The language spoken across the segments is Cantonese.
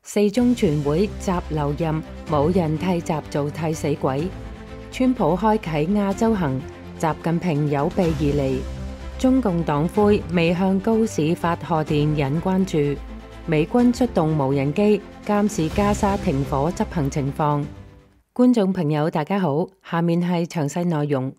四中全會習留任，冇人替習做替死鬼。川普開啟亞洲行，習近平有備而嚟。中共黨魁未向高市發賀電引關注。美軍出動無人機監視加沙停火執行情況。觀眾朋友大家好，下面係詳細內容。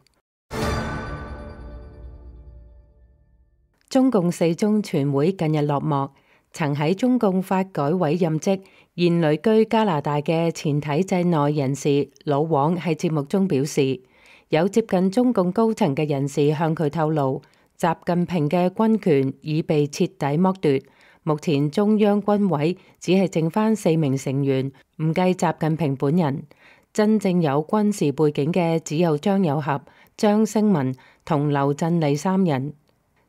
中共四中全會近日落幕。曾喺中共發改委任職、現旅居加拿大嘅前體制內人士老王喺節目中表示，有接近中共高層嘅人士向佢透露，習近平嘅軍權已被徹底剝奪。目前中央軍委只係剩返4名成員，唔計習近平本人。真正有軍事背景嘅只有張又俠、張升民同劉振理3人，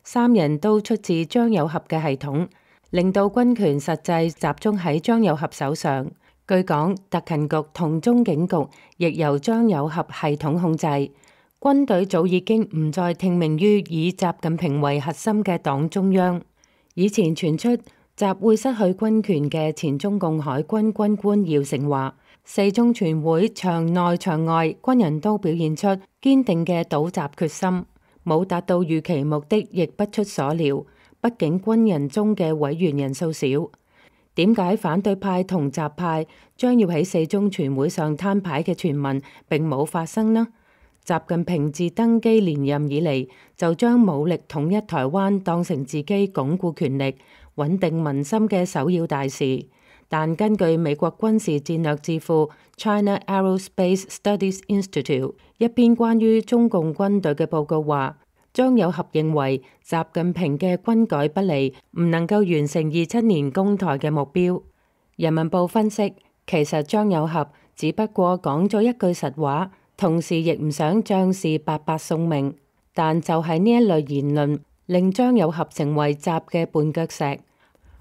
三人都出自張又俠嘅系統。令到軍權實際集中喺張又俠手上。據講，特勤局同中警局亦由張又俠系統控制。軍隊早已經唔再聽命於以習近平為核心嘅黨中央。以前傳出習會失去軍權嘅前中共海軍軍官姚成話，四中全會場內場外軍人都表現出堅定嘅倒習決心，冇達到預期目的，亦不出所料。畢竟軍人中嘅委員人數少，點解反對派同習派將要喺四中全會上攤牌嘅傳聞並冇發生呢？習近平自登基連任以嚟，就將武力統一台灣當成自己鞏固權力、穩定民心嘅首要大事。但根據美國軍事戰略智庫 China Aerospace Studies Institute 一篇關於中共軍隊嘅報告話，張又俠認為習近平嘅軍改不利，唔能夠完成27年攻台嘅目標。人民報分析，其實張又俠只不過講咗一句實話，同時亦唔想將士白白送命。但就係呢一類言論，令張又俠成為習嘅絆腳石。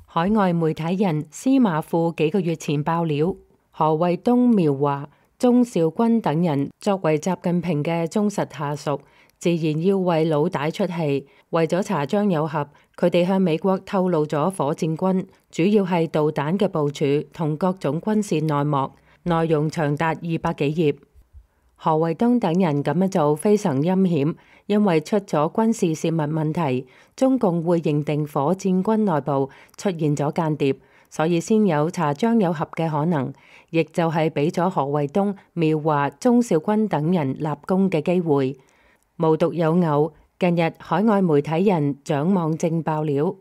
海外媒體人司馬庫幾個月前爆料，何衛東、苗華、鍾肇軍等人作為習近平嘅忠實下屬，自然要為老大出氣。為咗查張又俠，佢哋向美國透露咗火箭軍主要係導彈嘅部署同各種軍事內幕，內容長達200幾頁。何衛東等人咁樣做非常陰險，因為出咗軍事泄密問題，中共會認定火箭軍內部出現咗間諜，所以先有查張又俠嘅可能，亦就係俾咗何衛東、苗華、鍾肇軍等人立功嘅機會。無獨有偶，近日海外媒體人蔣望正爆料，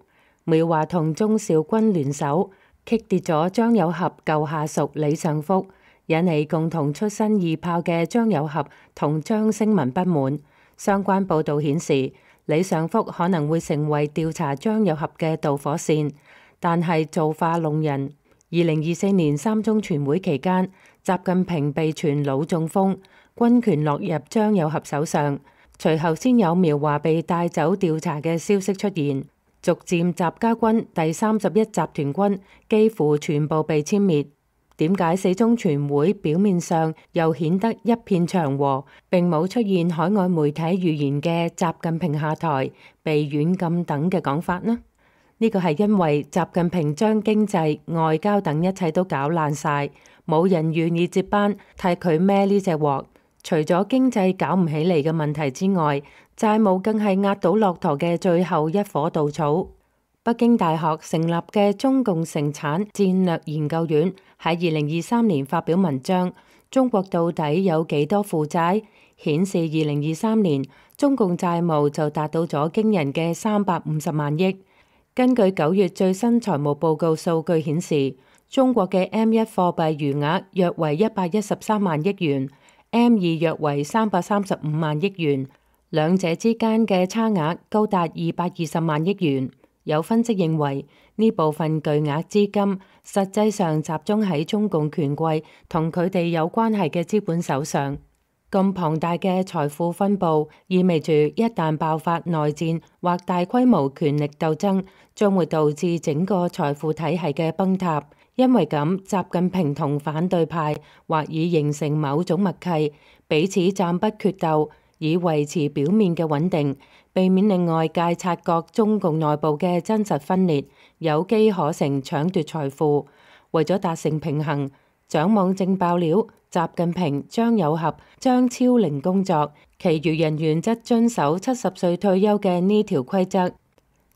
苗華同鍾肇軍聯手擊跌咗張又俠舊下屬李尚福，引起共同出身二炮嘅張又俠同張升民不滿。相關報導顯示，李尚福可能會成為調查張又俠嘅導火線，但係造化弄人。2024年三中全會期間，習近平被傳腦中風，軍權落入張又俠手上。隨後先有苗華被帶走調查嘅消息出現，逐漸習家軍第31集團軍幾乎全部被殲滅。點解四中全會表面上又顯得一片祥和，並冇出現海外媒體預言嘅習近平下台、被軟禁等嘅講法呢？呢個係因為習近平將經濟、外交等一切都搞爛晒，冇人願意接班替佢孭呢隻鑊。除咗經濟搞唔起嚟嘅問題之外，債務更係壓倒駱駝嘅最後一顆稻草。北京大學成立嘅中共成產戰略研究院喺2023年發表文章《中國到底有幾多負債》，顯示2023年中共債務就達到咗驚人嘅350萬億。根據9月最新財務報告數據顯示，中國嘅 M1 貨幣餘額約為113萬億元。M2 約為335萬億元，兩者之間嘅差額高達220萬億元。有分析認為，呢部分巨額資金實際上集中喺中共權貴同佢哋有關係嘅資本手上。咁龐大嘅財富分佈，意味住一旦爆發內戰或大規模權力鬥爭，將會導致整個財富體系嘅崩塌。因為咁，習近平同反對派或已形成某種默契，彼此暫不決鬥，以維持表面嘅穩定，避免令外界察覺中共內部嘅真實分裂，有機可乘搶奪財富。為咗達成平衡，掌網正爆料，習近平、張有俠將超齡工作，其餘人員則遵守70歲退休嘅呢條規則。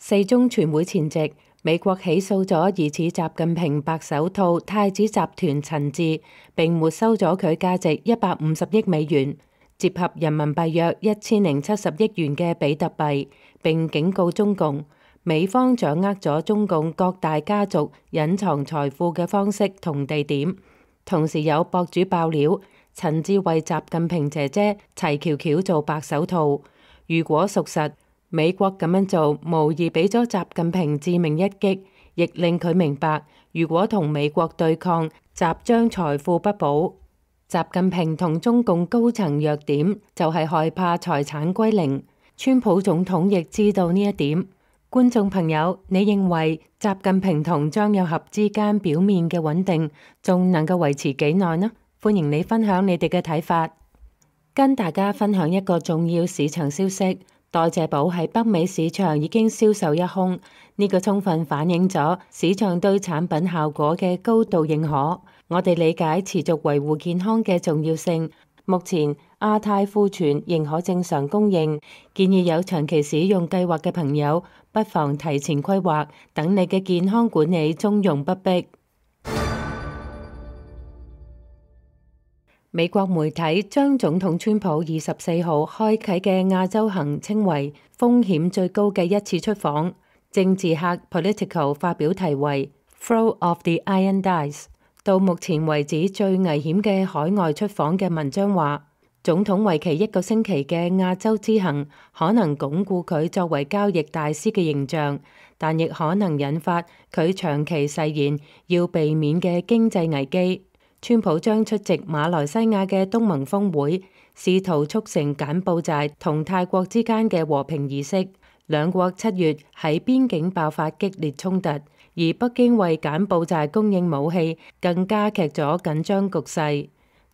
4中全會前夕，美國起訴咗疑似習近平白手套太子集團陳志，並沒收咗佢價值150億美元，折合人民幣約1070億元嘅比特幣，並警告中共，美方掌握咗中共各大家族隱藏財富嘅方式同地點。同時有博主爆料，陳志為習近平姐姐齊喬喬做白手套。如果屬實，美國咁樣做無疑俾咗習近平致命一擊，亦令佢明白，如果同美國對抗，習將財富不保。習近平同中共高層弱點就係害怕財產歸零，川普總統亦知道呢一點。觀眾朋友，你認為習近平同張有俠之間表面嘅穩定仲能夠維持幾耐呢？歡迎你分享你哋嘅睇法。跟大家分享一個重要市場消息，代謝寶喺北美市場已經銷售一空，呢個充分反映咗市場對產品效果嘅高度認可。我哋理解持續維護健康嘅重要性。目前亞太庫存仍可正常供應，建議有長期使用計劃嘅朋友不妨提前規劃，等你嘅健康管理從容不迫。美國媒體將總統川普24號開啟嘅亞洲行稱為風險最高嘅一次出訪。政治客 Political 發表題為《Throw of the Iron Dice》，到目前為止最危險嘅海外出訪嘅文章話，總統為期1個星期嘅亞洲之行可能鞏固佢作為交易大師嘅形象，但亦可能引發佢長期誓言要避免嘅經濟危機。川普將出席馬來西亞嘅東盟峰會，試圖促成柬埔寨同泰國之間嘅和平儀式。兩國7月喺邊境爆發激烈衝突，而北京為柬埔寨供應武器，更加劇咗緊張局勢。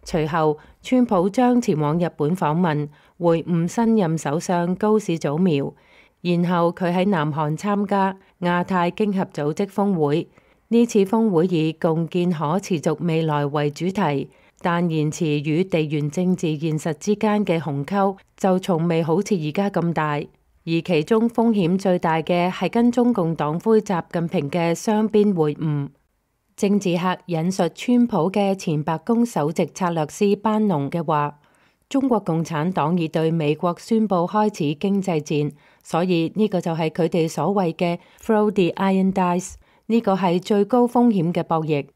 隨後，川普將前往日本訪問，會晤新任首相高市早苗，然後佢喺南韓參加亞太經合組織峰會。呢次峰會以共建可持續未來為主題，但言辭與地緣政治現實之間嘅鴻溝就從未好似而家咁大，而其中風險最大嘅係跟中共黨魁習近平嘅雙邊會晤。政治客引述川普嘅前白宮首席策略師班農嘅話，中國共產黨已對美國宣布開始經濟戰，所以呢個就係佢哋所謂嘅 Throw the Iron Dice。呢個係最高風險嘅博弈。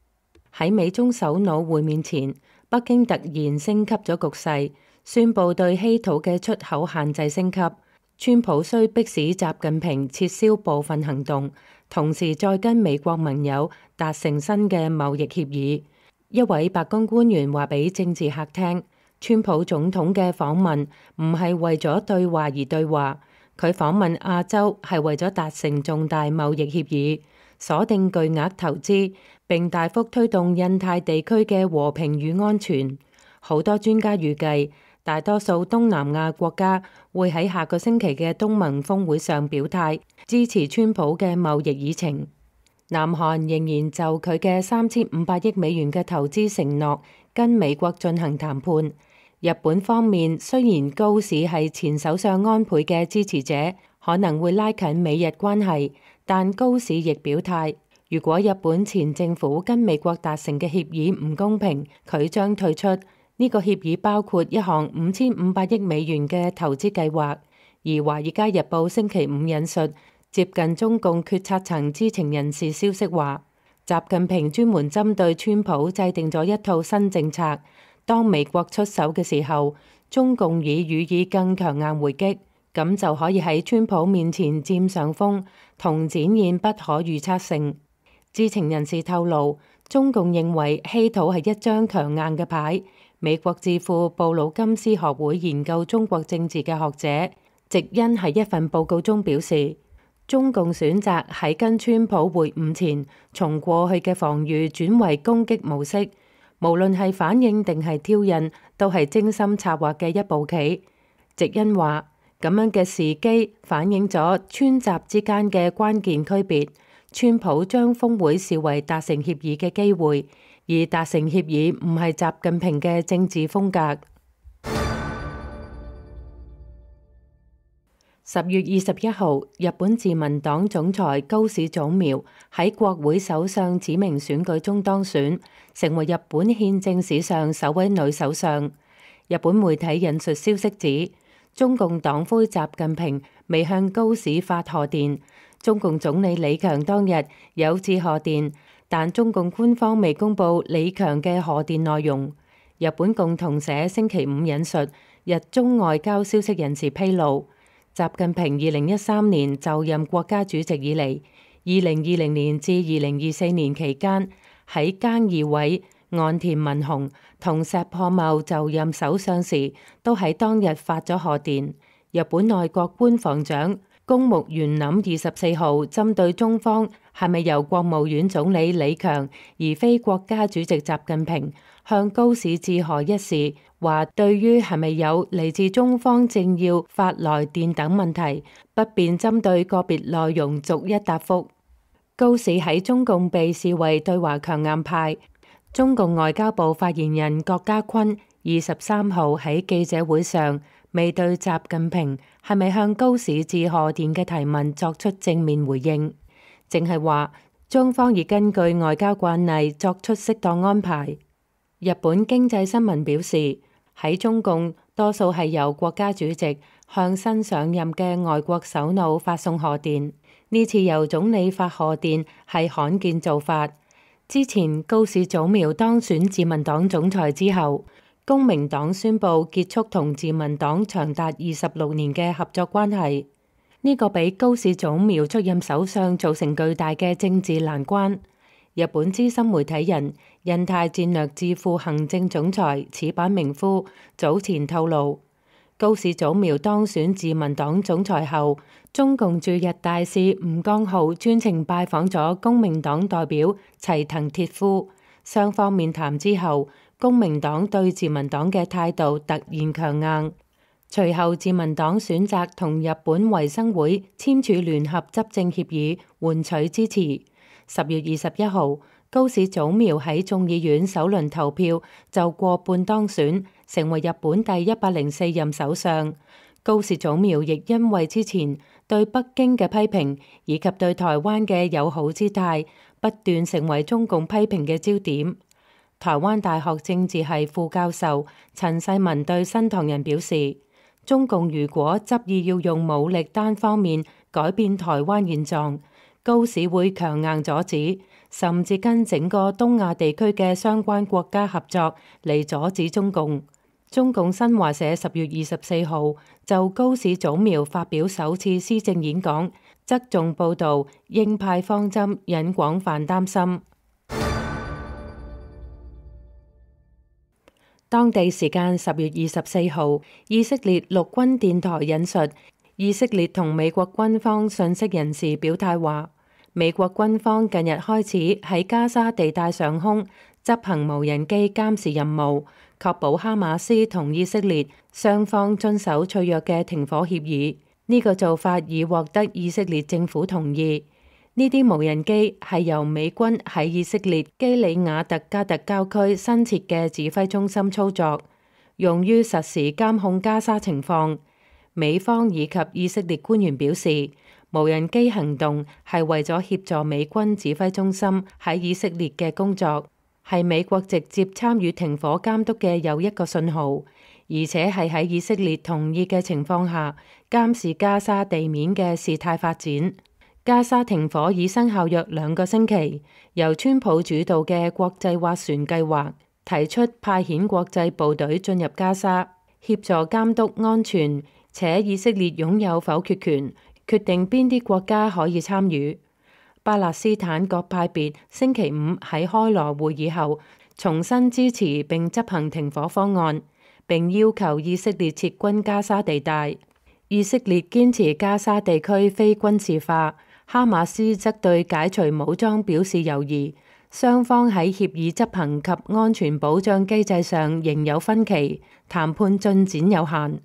喺美中首腦會面前，北京突然升級咗局勢，宣布對稀土嘅出口限制升級。川普需迫使習近平撤銷部分行動，同時再跟美國盟友達成新嘅貿易協議。一位白宮官員話俾政治客聽，川普總統嘅訪問唔係為咗對話而對話，佢訪問亞洲係為咗達成重大貿易協議，鎖定巨額投資，並大幅推動印太地區嘅和平與安全。好多專家預計，大多數東南亞國家會喺下個星期嘅東盟峰會上表態，支持川普嘅貿易議程。南韓仍然就佢嘅3500億美元嘅投資承諾跟美國進行談判。日本方面雖然高市係前首相安倍嘅支持者，可能會拉近美日關係，但高市亦表態，如果日本前政府跟美國達成嘅協議唔公平，佢將退出。呢個協議包括一項5500億美元嘅投資計劃。而《華爾街日報》星期五引述接近中共決策層知情人士消息話，習近平專門針對川普制定咗一套新政策，當美國出手嘅時候，中共已予以更強硬回擊，咁就可以喺川普面前佔上風，同展現不可預測性。知情人士透露，中共認為稀土係一張強硬嘅牌。美國智庫布魯金斯學會研究中國政治嘅學者席恩喺一份報告中表示，中共選擇喺跟川普會晤前，從過去嘅防禦轉為攻擊模式，無論係反應定係挑釁，都係精心策劃嘅一步棋。席恩話，咁樣嘅時機反映咗川習之間嘅關鍵區別。川普將峰會視為達成協議嘅機會，而達成協議唔係習近平嘅政治風格。10月21號，日本自民黨總裁高市早苗喺國會首相指名選舉中當選，成為日本憲政史上首位女首相。日本媒體引述消息指，中共黨魁習近平未向高市發賀電，中共總理李強當日有致賀電，但中共官方未公布李強嘅賀電內容。日本共同社星期五引述日中外交消息人士披露，習近平2013年就任國家主席以嚟，2020年至2024年期間，喺菅義偉、岸田文雄同石破茂就任首相時，都喺當日發咗賀電。日本內閣官房長公務員林24號針對中方係咪由國務院總理李強而非國家主席習近平向高市致賀一事，話對於係咪有嚟自中方政要發來電等問題，不便針對個別內容逐一答覆。高市喺中共被視為對華強硬派。中共外交部發言人郭家坤23號喺記者會上未對習近平係咪向高市致賀電嘅提問作出正面回應，淨係話中方已根據外交慣例作出適當安排。日本經濟新聞表示，喺中共多數係由國家主席向新上任嘅外國首腦發送賀電，呢次由總理發賀電係罕見做法。之前高市早苗當選自民黨總裁之後，公明黨宣布結束同自民黨長達26年嘅合作關係，呢個俾高市早苗出任首相造成巨大嘅政治難關。日本資深媒體人、印太戰略智庫行政總裁矢板明夫早前透露，高市早苗當選自民黨總裁後，中共駐日大使吳江浩專程拜訪咗公明黨代表齊藤鐵夫，雙方面談之後，公明黨對自民黨嘅態度突然強硬。隨後自民黨選擇同日本維新會簽署聯合執政協議，換取支持。10月21號，高市早苗喺眾議院首輪投票就過半當選，成為日本第104任首相。高市早苗亦因為之前對北京嘅批評以及對台灣嘅友好姿態，不斷成為中共批評嘅焦點。台灣大學政治系副教授陳世文對新唐人表示，中共如果執意要用武力單方面改變台灣現狀，高市會強硬阻止，甚至跟整個東亞地區嘅相關國家合作嚟阻止中共。中共新華社10月24號就高市早苗發表首次施政演講，側重報導鷹派方針，引廣泛擔心。當地時間10月24號，以色列陸軍電台引述以色列同美國軍方信息人士表態話，美國軍方近日開始喺加沙地帶上空執行無人機監視任務，確保哈馬斯同以色列雙方遵守脆弱嘅停火協議。呢個做法已獲得以色列政府同意。呢啲無人機係由美軍喺以色列基里亞特加特郊區新設嘅指揮中心操作，用於實時監控加沙情況。美方以及以色列官員表示，無人機行動係為咗協助美軍指揮中心喺以色列嘅工作，係美國直接參與停火監督嘅又一個信號，而且係喺以色列同意嘅情況下監視加沙地面嘅事態發展。加沙停火已生效約2個星期，由川普主導嘅國際斡旋計劃提出派遣國際部隊進入加沙，協助監督安全，且以色列擁有否決權，決定邊啲國家可以參與。巴勒斯坦各派別星期五喺開羅會議後，重新支持並執行停火方案，並要求以色列撤軍加沙地帶。以色列堅持加沙地區非軍事化，哈馬斯則對解除武裝表示猶豫。雙方喺協議執行及安全保障機制上仍有分歧，談判進展有限。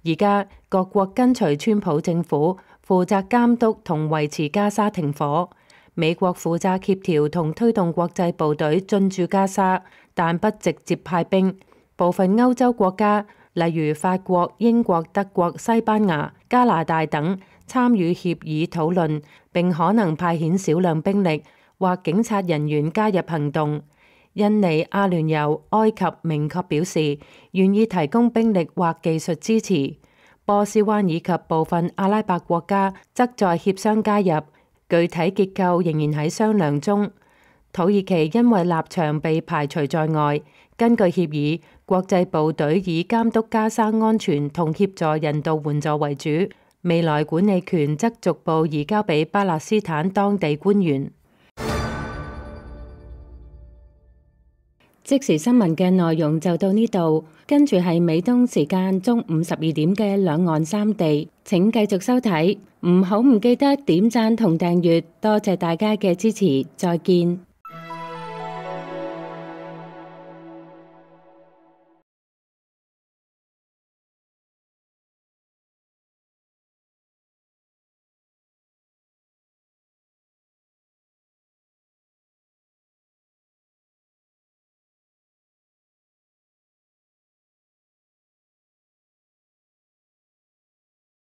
而家各國跟隨川普政府負責監督同維持加沙停火。美國負責協調同推動國際部隊進駐加沙，但不直接派兵。部分歐洲國家，例如法國、英國、德國、西班牙、加拿大等，參與協議討論，並可能派遣少量兵力或警察人員加入行動。印尼、阿聯酋、埃及明確表示願意提供兵力或技術支持。波斯灣以及部分阿拉伯國家則在協商加入，具體結構仍然喺商量中。土耳其因為立場被排除在外，根據協議，國際部隊以監督加沙安全同協助人道援助為主，未來管理權則逐步移交俾巴勒斯坦當地官員。即時新聞嘅內容就到呢度，跟住係美東時間中午12點嘅兩岸三地，請繼續收睇，唔記得點讚同訂閱，多謝大家嘅支持，再見。